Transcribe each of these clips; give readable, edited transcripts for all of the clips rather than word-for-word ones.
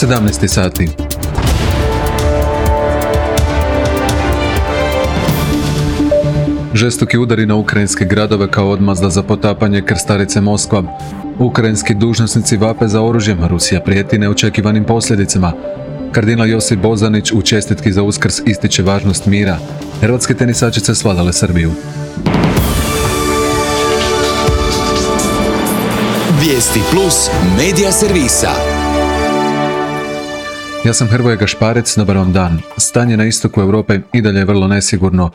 17 sati. Žestoki udari na ukrajinske gradove kao odmazda za potapanje krstarice Moskva. Ukrajinski dužnosnici vape za oružjem, Rusija prijeti neočekivanim posljedicama. Kardinal Josip Bozanić u čestitki za Uskrs ističe važnost mira. Hrvatske tenisačice svladale Srbiju. Vijesti plus medija servisa. Ja sam Hrvoje Gašparec, dobar vam dan. Stanje na istoku Europe i dalje je vrlo nesigurno.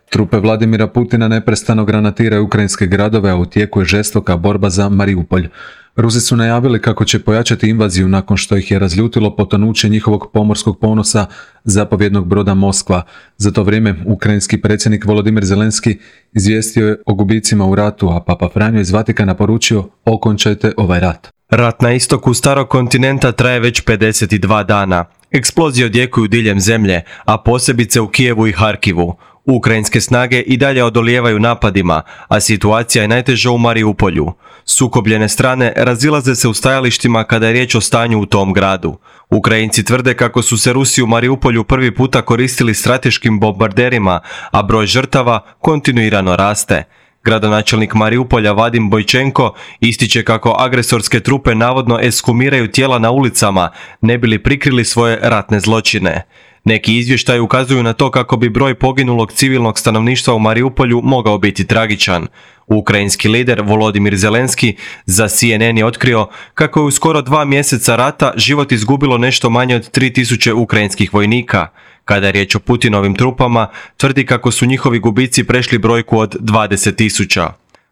Trupe Vladimira Putina neprestano granatiraju ukrajinske gradove, a u tijeku je žestoka borba za Mariupolj. Rusi su najavili kako će pojačati invaziju nakon što ih je razljutilo potonuće njihovog pomorskog ponosa, zapovjednog broda Moskva. Za to vrijeme ukrajinski predsjednik Volodimir Zelenski izvijestio je o gubicima u ratu, a Papa Franjo iz Vatikana poručio: okončajte ovaj rat. Rat na istoku starog kontinenta traje već 52 dana. Eksplozije odjekuju diljem zemlje, a posebice u Kijevu i Harkivu. Ukrajinske snage i dalje odolijevaju napadima, a situacija je najteža u Mariupolju. Sukobljene strane razilaze se u stajalištima kada je riječ o stanju u tom gradu. Ukrajinci tvrde kako su se Rusi u Mariupolju prvi puta koristili strateškim bombarderima, a broj žrtava kontinuirano raste. Gradonačelnik Mariupolja Vadim Bojčenko ističe kako agresorske trupe navodno ekshumiraju tijela na ulicama, ne bi li prikrili svoje ratne zločine. Neki izvještaji ukazuju na to kako bi broj poginulog civilnog stanovništva u Mariupolju mogao biti tragičan. Ukrajinski lider Volodimir Zelenski za CNN je otkrio kako je u skoro 2 mjeseca rata život izgubilo nešto manje od 3000 ukrajinskih vojnika. Kada je riječ o Putinovim trupama, tvrdi kako su njihovi gubici prešli brojku od 20.000.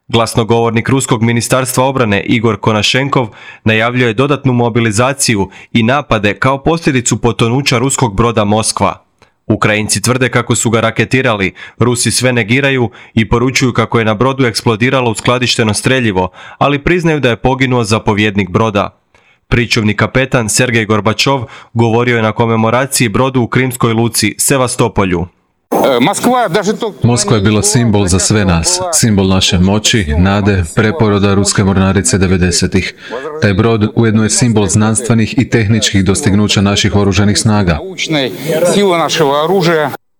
Glasnogovornik Ruskog ministarstva obrane Igor Konašenkov najavljuje dodatnu mobilizaciju i napade kao posljedicu potonuća ruskog broda Moskva. Ukrajinci tvrde kako su ga raketirali, Rusi sve negiraju i poručuju kako je na brodu eksplodiralo uskladišteno streljivo, ali priznaju da je poginuo zapovjednik broda. Pričuvni kapetan Sergej Gorbačov govorio je na komemoraciji brodu u krimskoj luci Sevastopolju. Moskva je bila simbol za sve nas, simbol naše moći, nade, preporoda ruske mornarice 90-ih. Taj brod ujedno je simbol znanstvenih i tehničkih dostignuća naših oružanih snaga.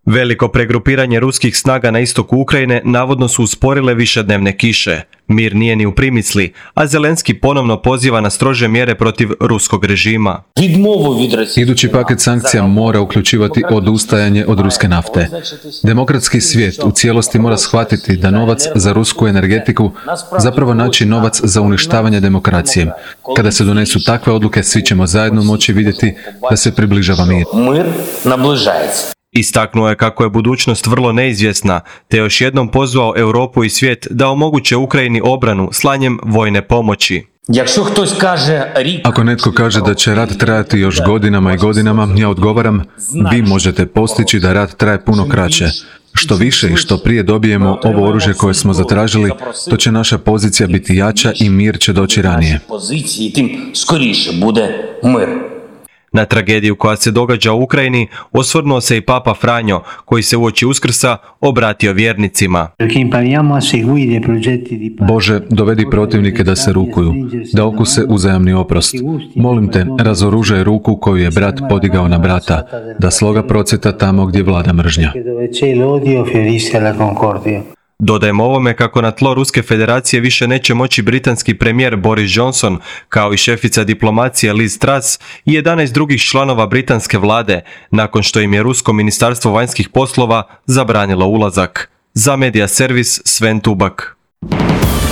Veliko pregrupiranje ruskih snaga na istoku Ukrajine navodno su usporile višednevne kiše. Mir nije ni u primisli, a Zelenski ponovno poziva na strože mjere protiv ruskog režima. Idući paket sankcija mora uključivati odustajanje od ruske nafte. Demokratski svijet u cijelosti mora shvatiti da novac za rusku energetiku zapravo znači novac za uništavanje demokracije. Kada se donesu takve odluke, svi ćemo zajedno moći vidjeti da se približava mir. Istaknuo je kako je budućnost vrlo neizvjesna, te još jednom pozvao Europu i svijet da omoguće Ukrajini obranu slanjem vojne pomoći. Ako netko kaže da će rat trajati još godinama i godinama, ja odgovaram: vi možete postići da rat traje puno kraće. Što više i što prije dobijemo ovo oružje koje smo zatražili, to će naša pozicija biti jača i mir će doći ranije. Na tragediju koja se događa u Ukrajini osvrnuo se i Papa Franjo, koji se uoči Uskrsa obratio vjernicima. Bože, dovedi protivnike da se rukuju, da okuse uzajamni oprost. Molim te, razoružaj ruku koju je brat podigao na brata, da sloga procvjeta tamo gdje vlada mržnja. Dodajemo ovome kako na tlo Ruske federacije više neće moći britanski premijer Boris Johnson, kao i šefica diplomacije Liz Truss i 11 drugih članova britanske vlade, nakon što im je Rusko ministarstvo vanjskih poslova zabranilo ulazak. Za Medija servis Sven Tubak.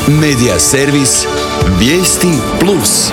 Medija servis Vijesti plus.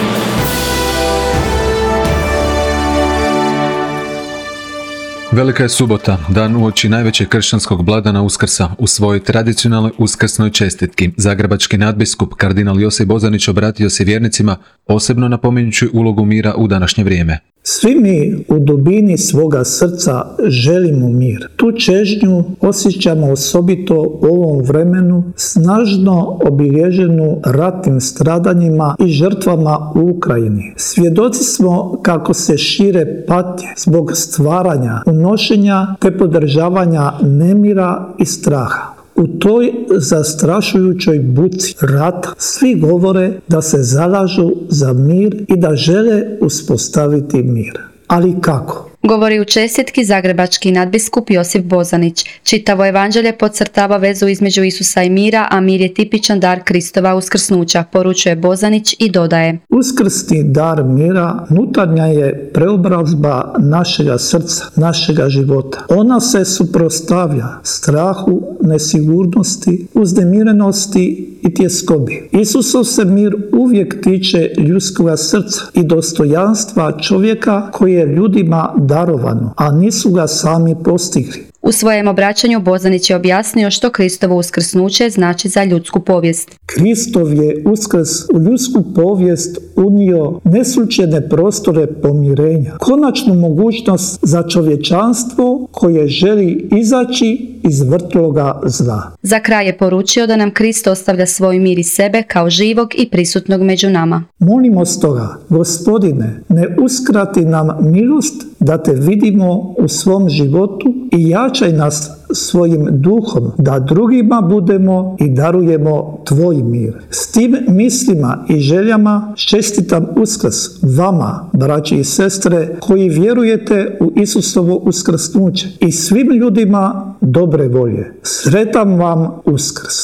Velika je subota, dan uoči najvećeg kršćanskog blagdana Uskrsa. U svojoj tradicionalnoj uskrsnoj čestitki zagrebački nadbiskup kardinal Josip Bozanić obratio se vjernicima, posebno napominjući ulogu mira u današnje vrijeme. Svi mi u dubini svoga srca želimo mir. Tu čežnju osjećamo osobito u ovom vremenu, snažno obilježenu ratnim stradanjima i žrtvama u Ukrajini. Svjedoci smo kako se šire patnje zbog stvaranja, unošenja te podržavanja nemira i straha. U toj zastrašujućoj buci rata svi govore da se zalažu za mir i da žele uspostaviti mir. Ali kako? Govori u čestitki zagrebački nadbiskup Josip Bozanić. Čitavo evanđelje podcrtava vezu između Isusa i mira, a mir je tipičan dar Kristova uskrsnuća, poručuje Bozanić i dodaje: Uskrsni dar mira nutarnja je preobrazba našega srca, našega života. Ona se suprotstavlja strahu, nesigurnosti, uznemirenosti i tjeskobi. Isusov se mir uvijek tiče ljudskoga srca i dostojanstva čovjeka koji je ljudima darovano, a nisu ga sami postigli. U svojem obraćanju Bozanić je objasnio što Kristovo uskrsnuće znači za ljudsku povijest. Kristov je uskrs u ljudsku povijest unio neslučajne prostore pomirenja, konačnu mogućnost za čovječanstvo koje želi izaći iz vrtloga zla. Za kraj je poručio da nam Krist ostavlja svoj mir iz sebe kao živog i prisutnog među nama. Molimo stoga, Gospodine, ne uskrati nam milost da te vidimo u svom životu i jačaj nas svojim duhom, da drugima budemo i darujemo tvoj mir. S tim mislima i željama čestitam Uskrs vama, braći i sestre, koji vjerujete u Isusovo uskrsnuće, i svim ljudima dobre volje. Sretan vam Uskrs.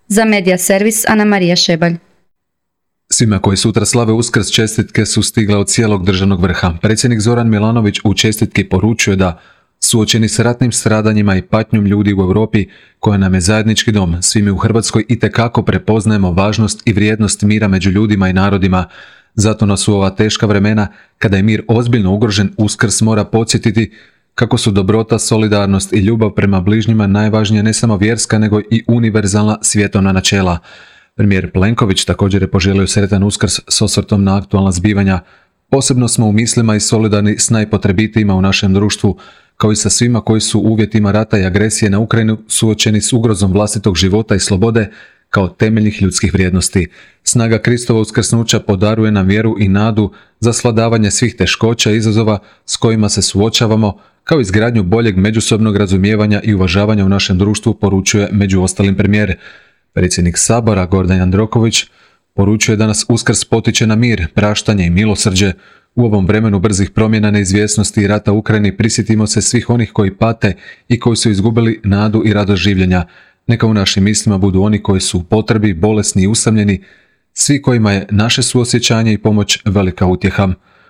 Za Medija servis Ana Marija Šebalj. Svima koji sutra slave Uskrs čestitke su stigle od cijelog državnog vrha. Predsjednik Zoran Milanović u čestitki poručuje da suočeni s ratnim stradanjima i patnjom ljudi u Europi, koja nam je zajednički dom, svi mi u Hrvatskoj itekako prepoznajemo važnost i vrijednost mira među ljudima i narodima. Zato nas u ova teška vremena, kada je mir ozbiljno ugrožen, Uskrs mora podsjetiti kako su dobrota, solidarnost i ljubav prema bližnjima najvažnija ne samo vjerska, nego i univerzalna svjetovna načela. Premijer Plenković također je poželio sretan Uskrs s osvrtom na aktualna zbivanja. Posebno smo u mislima i solidarni s najpotrebitijima u našem društvu, kao i sa svima koji su u uvjetima rata i agresije na Ukrajinu suočeni s ugrozom vlastitog života i slobode kao temeljnih ljudskih vrijednosti. Snaga Kristova uskrsnuća podaruje nam vjeru i nadu za svladavanje svih teškoća i izazova s kojima se suočavamo, kao i izgradnju boljeg međusobnog razumijevanja i uvažavanja u našem društvu, poručuje među ostalim premijer. Predsjednik Sabora Gordan Jandroković poručuje da nas Uskrs potiče na mir, praštanje i milosrđe. U ovom vremenu brzih promjena, neizvjesnosti i rata u Ukrajini prisjetimo se svih onih koji pate i koji su izgubili nadu i radost življenja. Neka u našim mislima budu oni koji su u potrebi, bolesni i usamljeni, svi kojima je naše suosjećanje i pomoć velika utjeha.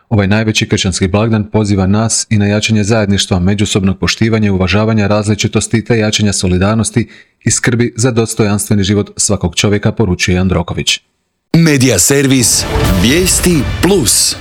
Ovaj najveći kršćanski blagdan poziva nas i na jačanje zajedništva, međusobnog poštivanja i uvažavanja različitosti te jačanja solidarnosti i skrbi za dostojanstveni život svakog čovjeka, poručuje Jandroković. Medija servis Vijesti Plus.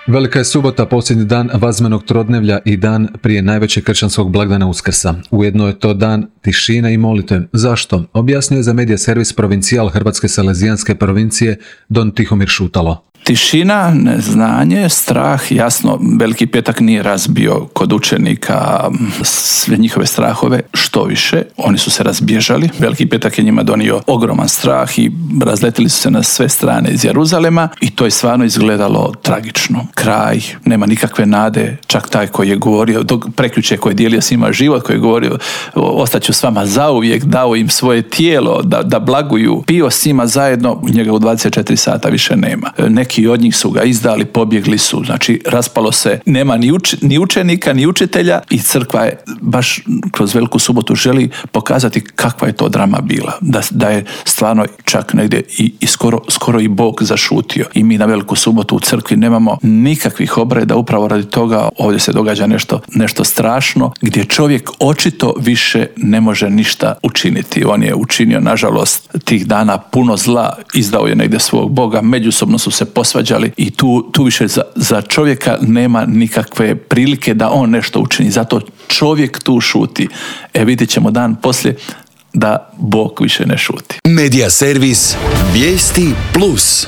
Velika je subota, posljednji dan vazmenog trodnevlja i dan prije najvećeg kršćanskog blagdana Uskrsa. Ujedno je to dan tišine i molitve. Zašto? Objasnio je za Medija servis provincijal Hrvatske Salezijanske provincije Don Tihomir Šutalo. Tišina, neznanje, strah, jasno, Veliki petak nije razbio kod učenika sve njihove strahove, što više, oni su se razbježali. Veliki petak je njima donio ogroman strah i razletili su se na sve strane iz Jeruzalema i to je stvarno izgledalo tragično. Kraj, nema nikakve nade, čak taj koji je govorio, prekjuče koji je dijelio svima život, koji je govorio ostaću s vama zauvijek, dao im svoje tijelo da blaguju, pio s njima zajedno, njega u 24 sata više nema. Neki od njih su ga izdali, pobjegli su, znači raspalo se, nema ni učenika, ni učitelja i crkva je baš kroz Veliku subotu želi pokazati kakva je to drama bila, da je stvarno čak negdje i skoro i Bog zašutio. I mi na Veliku subotu u crkvi nemamo nikakvih obreda, upravo radi toga ovdje se događa nešto strašno, gdje čovjek očito više ne može ništa učiniti. On je učinio, nažalost, tih dana puno zla, izdao je negdje svog Boga, međusobno su se posvađali i tu više za čovjeka nema nikakve prilike da on nešto učini. Zato čovjek tu šuti. Vidjet ćemo dan poslije da Bog više ne šuti. Medija servis Vijesti Plus.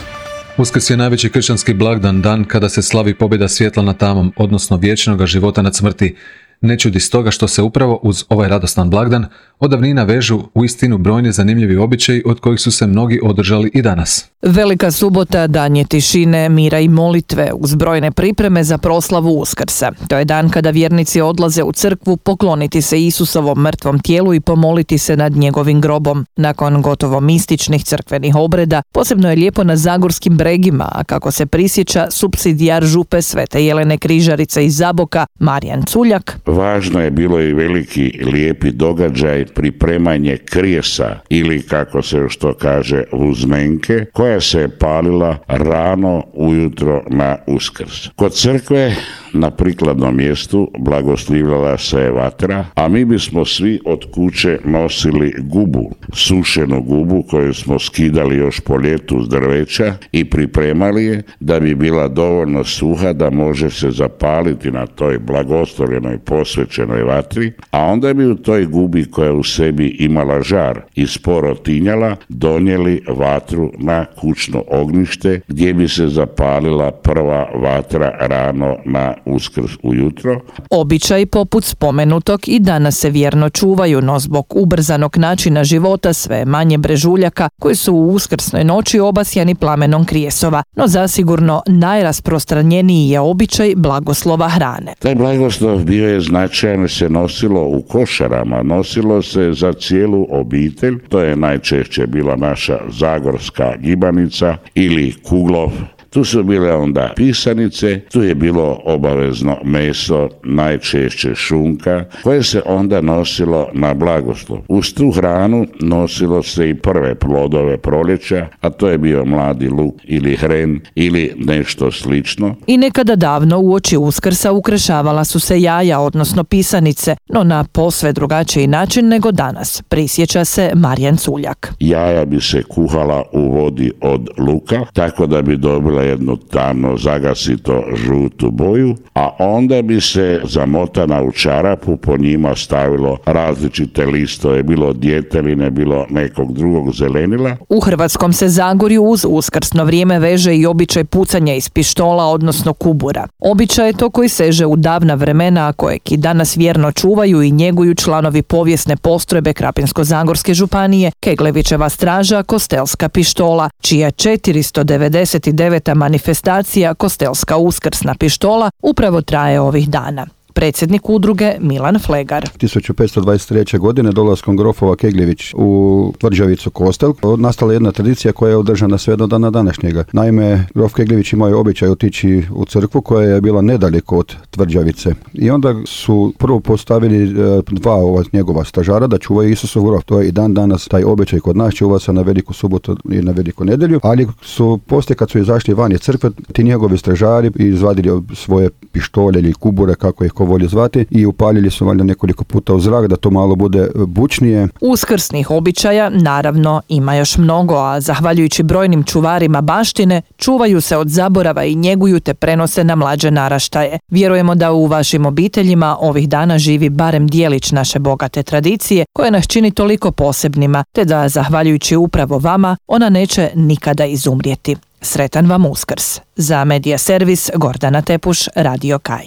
Uskrs je najveći kršćanski blagdan, dan kada se slavi pobjeda svjetla nad tamom, odnosno vječnoga života nad smrti. Ne čudi stoga što se upravo uz ovaj radostan blagdan od davnina vežu uistinu brojni zanimljivi običaji od kojih su se mnogi održali i danas. Velika subota dan je tišine, mira i molitve uz brojne pripreme za proslavu Uskrsa. To je dan kada vjernici odlaze u crkvu pokloniti se Isusovom mrtvom tijelu i pomoliti se nad njegovim grobom. Nakon gotovo mističnih crkvenih obreda, posebno je lijepo na zagorskim bregima, a kako se prisjeća supsidijar župe Svete Jelene Križarice iz Zaboka, Marijan Culjak. Važno je bilo i veliki lijepi događaj, pripremanje krijesa ili kako se još to kaže vuzmenke, koja se je palila rano ujutro na Uskrs. Kod crkve na prikladnom mjestu blagoslivljala se je vatra, a mi bismo svi od kuće nosili gubu, sušenu gubu koju smo skidali još po ljetu s drveća i pripremali je da bi bila dovoljno suha da može se zapaliti na toj blagoslovljenoj posvećenoj vatri, a onda bi u toj gubi koja u sebi imala žar i sporo tinjala donijeli vatru na kućno ognjište gdje bi se zapalila prva vatra rano na Uskrs ujutro. Običaj poput spomenutog i danas se vjerno čuvaju, no zbog ubrzanog načina života sve manje brežuljaka koji su u uskrsnoj noći obasjani plamenom krijesova, no zasigurno najrasprostranjeniji je običaj blagoslova hrane. Taj blagoslov bio je značajan, se nosilo u košarama, nosilo se za cijelu obitelj, to je najčešće bila naša zagorska gibanica ili kuglov. Tu su bile onda pisanice, tu je bilo obavezno meso, najčešće šunka, koje se onda nosilo na blagoslov. Uz tu hranu nosilo se i prve plodove proljeća, a to je bio mladi luk ili hren ili nešto slično. I nekada davno uoči Uskrsa ukrašavala su se jaja, odnosno pisanice, no na posve drugačiji način nego danas, prisjeća se Marijan Culjak. Jaja bi se kuhala u vodi od luka, tako da bi dobila jednu tamno zagasito žutu boju, a onda bi se zamotana u čarapu po njima stavilo različite listove, bilo djeteline, bilo nekog drugog zelenila. U Hrvatskom se Zagorju uz uskrsno vrijeme veže i običaj pucanja iz pištola, odnosno kubura. Običaj je to koji seže u davna vremena, a kojeg i danas vjerno čuvaju i njeguju članovi povijesne postrojbe Krapinsko-zagorske županije, Keglevićeva straža, Kostelska pištola, čija 499. manifestacija Kostelska uskrsna pištola upravo traje ovih dana. Predsjednik udruge Milan Flegar. 1523. godine dolaskom grofova Kegljević u tvrđavicu Kostel nastala jedna tradicija koja je održana sve do dana današnjega. Naime, grof Kegljević imao običaj otići u crkvu koja je bila nedaleko od tvrđavice. I onda su prvo postavili dva njegova stražara da čuvaju Isusov grof. To je i dan danas taj običaj kod nas, čuva se na Veliku subotu i na Veliku nedjelju, ali su poslije kad su izašli van iz crkve, ti njegovi stražari izvadili svoje pištolje ili kubure, kako ih volje zvati, i upaljili su valjda nekoliko puta u zrak da to malo bude bučnije. Uskrsnih običaja naravno ima još mnogo, a zahvaljujući brojnim čuvarima baštine čuvaju se od zaborava i njeguju te prenose na mlađe naraštaje. Vjerujemo da u vašim obiteljima ovih dana živi barem dijelić naše bogate tradicije koje nas čini toliko posebnima, te da zahvaljujući upravo vama ona neće nikada izumrijeti. Sretan vam Uskrs. Za Medija Servis Gordana Tepuš, Radio Kaj.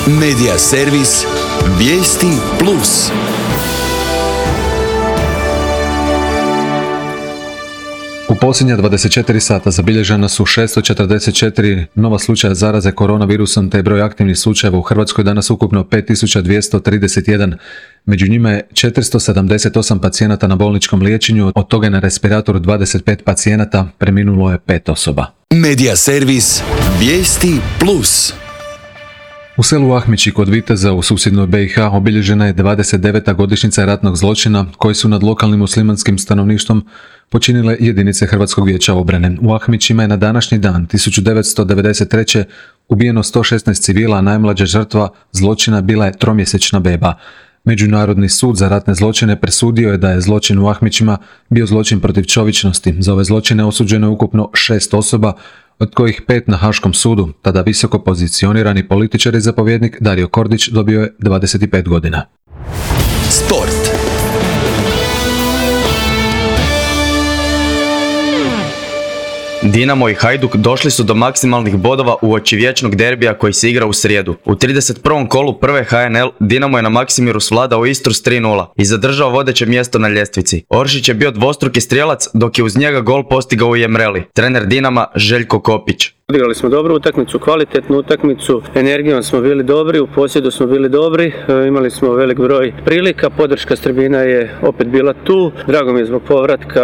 Medija Servis, vijesti plus. U posljednja 24 sata zabilježena su 644 nova slučaja zaraze koronavirusom, te je broj aktivnih slučajeva u Hrvatskoj danas ukupno 5231. Među njima je 478 pacijenata na bolničkom liječenju, od toga je na respiratoru 25 pacijenata, preminulo je 5 osoba. Medija Servis, vijesti plus. U selu Ahmići kod Viteza u susjednoj BiH obilježena je 29. godišnjica ratnog zločina koji su nad lokalnim muslimanskim stanovništvom počinile jedinice Hrvatskog vijeća obrane. U Ahmićima je na današnji dan 1993. ubijeno 116 civila, a najmlađa žrtva zločina bila je 3-mjesečna beba. Međunarodni sud za ratne zločine presudio je da je zločin u Ahmićima bio zločin protiv čovječnosti. Za ove zločine osuđeno je ukupno 6 osoba, od kojih 5 na Haškom sudu. Tada visoko pozicionirani političar i zapovjednik Dario Kordić dobio je 25 godina. Sport. Dinamo i Hajduk došli su do maksimalnih bodova uoči vječnog derbija koji se igra u srijedu. U 31. kolu prve HNL Dinamo je na Maksimiru svladao Istru s 3:0 i zadržao vodeće mjesto na ljestvici. Oršić je bio dvostruki strijelac, dok je uz njega gol postigao i Emreli, trener Dinama Željko Kopić. Odigrali smo dobru utakmicu, kvalitetnu utakmicu, energijom smo bili dobri, u posjedu smo bili dobri, imali smo velik broj prilika, podrška s tribina je opet bila tu, drago mi je zbog povratka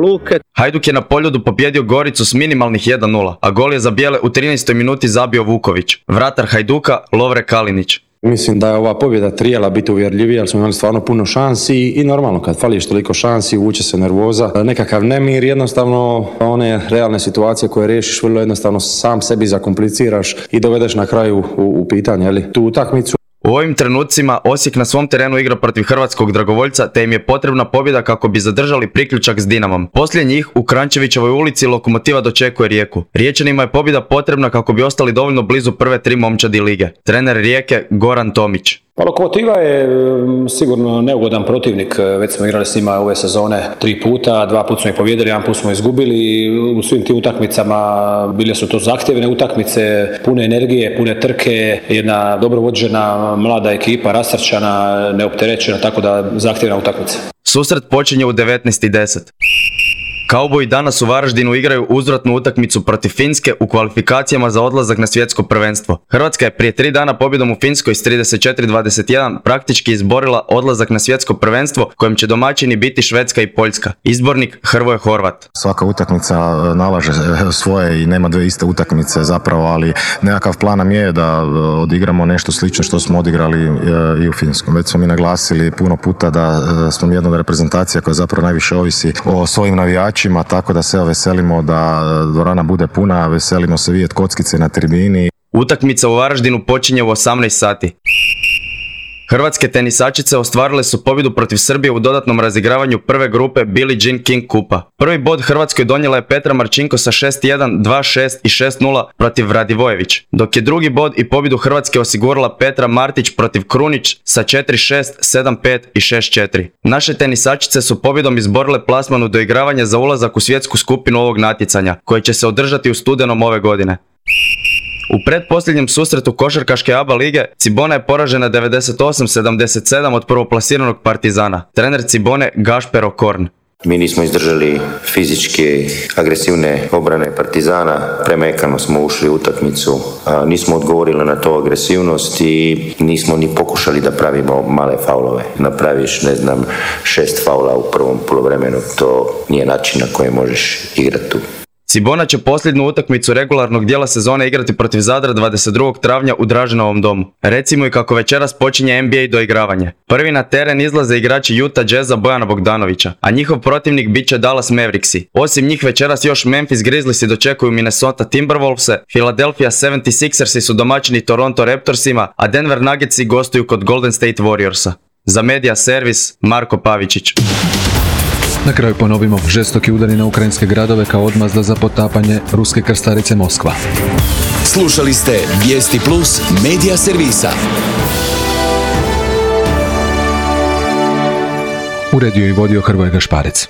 Luke. Hajduk je na Poljudu pobjedio Goricu s minimalnih 1:0, a gol je za bijele u 13. minuti zabio Vuković. Vratar Hajduka Lovre Kalinić. Mislim da je ova pobjeda trebala biti uvjerljivija, jer smo imali stvarno puno šansi i normalno kad fališ toliko šansi vuče se nervoza, nekakav nemir, jednostavno one realne situacije koje riješiš vrlo jednostavno sam sebi zakompliciraš i dovedeš na kraju u pitanje tu utakmicu. U ovim trenucima Osijek na svom terenu igra protiv hrvatskog dragovoljca, te im je potrebna pobjeda kako bi zadržali priključak s Dinamom. Poslije njih u Krančevićevoj ulici Lokomotiva dočekuje Rijeku. Riječanima je pobjeda potrebna kako bi ostali dovoljno blizu prve 3 momčadi lige. Trener Rijeke Goran Tomić. Pa Lokomotiva je sigurno neugodan protivnik, već smo igrali s njima ove sezone 3 puta, 2 puta smo ih pobjedili, 1 put smo izgubili i u svim tim utakmicama bile su to zahtjevne utakmice, pune energije, pune trke, jedna dobro vođena mlada ekipa, rasrčana, neopterećena, tako da zahtjevna utakmica. Susret počinje u 19:10. Kauboji danas u Varaždinu igraju uzvratnu utakmicu protiv Finske u kvalifikacijama za odlazak na svjetsko prvenstvo. Hrvatska je prije 3 dana pobjedom u Finskoj s 34-21 praktički izborila odlazak na svjetsko prvenstvo kojem će domaćini biti Švedska i Poljska. Izbornik Hrvoje Horvat. Svaka utakmica nalaže svoje i nema dvije iste utakmice zapravo, ali nekakav plan nam je da odigramo nešto slično što smo odigrali i u Finskom. Već smo mi naglasili puno puta da smo jedna od reprezentacija koja zapravo najviše ovisi o svojim navijačima, tako da se veselimo da dvorana bude puna, veselimo se vidjeti kockice na tribini. Utakmica u Varaždinu počinje u 18 sati. Hrvatske tenisačice ostvarile su pobjedu protiv Srbije u dodatnom razigravanju prve grupe Billie Jean King kupa. Prvi bod Hrvatskoj donijela je Petra Marčinko sa 6:1, 2:6 i 6:0 protiv Radivojević, dok je drugi bod i pobjedu Hrvatske osigurala Petra Martić protiv Krunić sa 4:6, 7:5 i 6:4. Naše tenisačice su pobjedom izborile plasman u doigravanje za ulazak u svjetsku skupinu ovog natjecanja, koje će se održati u studenom ove godine. U predposljednjem susretu košarkaške ABA lige Cibona je poražena 98-77 od prvoplasiranog Partizana. Trener Cibone Gašper Okorn. Mi nismo izdržali fizički agresivne obrane Partizana, premekano smo ušli u utakmicu, nismo odgovorili na to agresivnost i nismo ni pokušali da pravimo male faulove. Napraviš, 6 faula u prvom poluvremenu, to nije način na koji možeš igrati tu. Cibona će posljednju utakmicu regularnog dijela sezone igrati protiv Zadra 22. travnja u Draženovom domu. Recimo i kako večeras počinje NBA doigravanje. Prvi na teren izlaze igrači Utah Jazza Bojana Bogdanovića, a njihov protivnik bit će Dallas Mavericksi. Osim njih večeras još Memphis Grizzliesi dočekuju Minnesota Timberwolvese, Philadelphia 76ersi su domaćini Toronto Raptorsima, a Denver Nuggetsi gostuju kod Golden State Warriorsa. Za Media Servis Marko Pavičić. Na kraju ponovimo, žestoki udari na ukrajinske gradove kao odmazda za potapanje ruske krstarice Moskva. Slušali ste Vijesti Plus Media Servisa. Uredio i vodio Hrvoje Gašparec.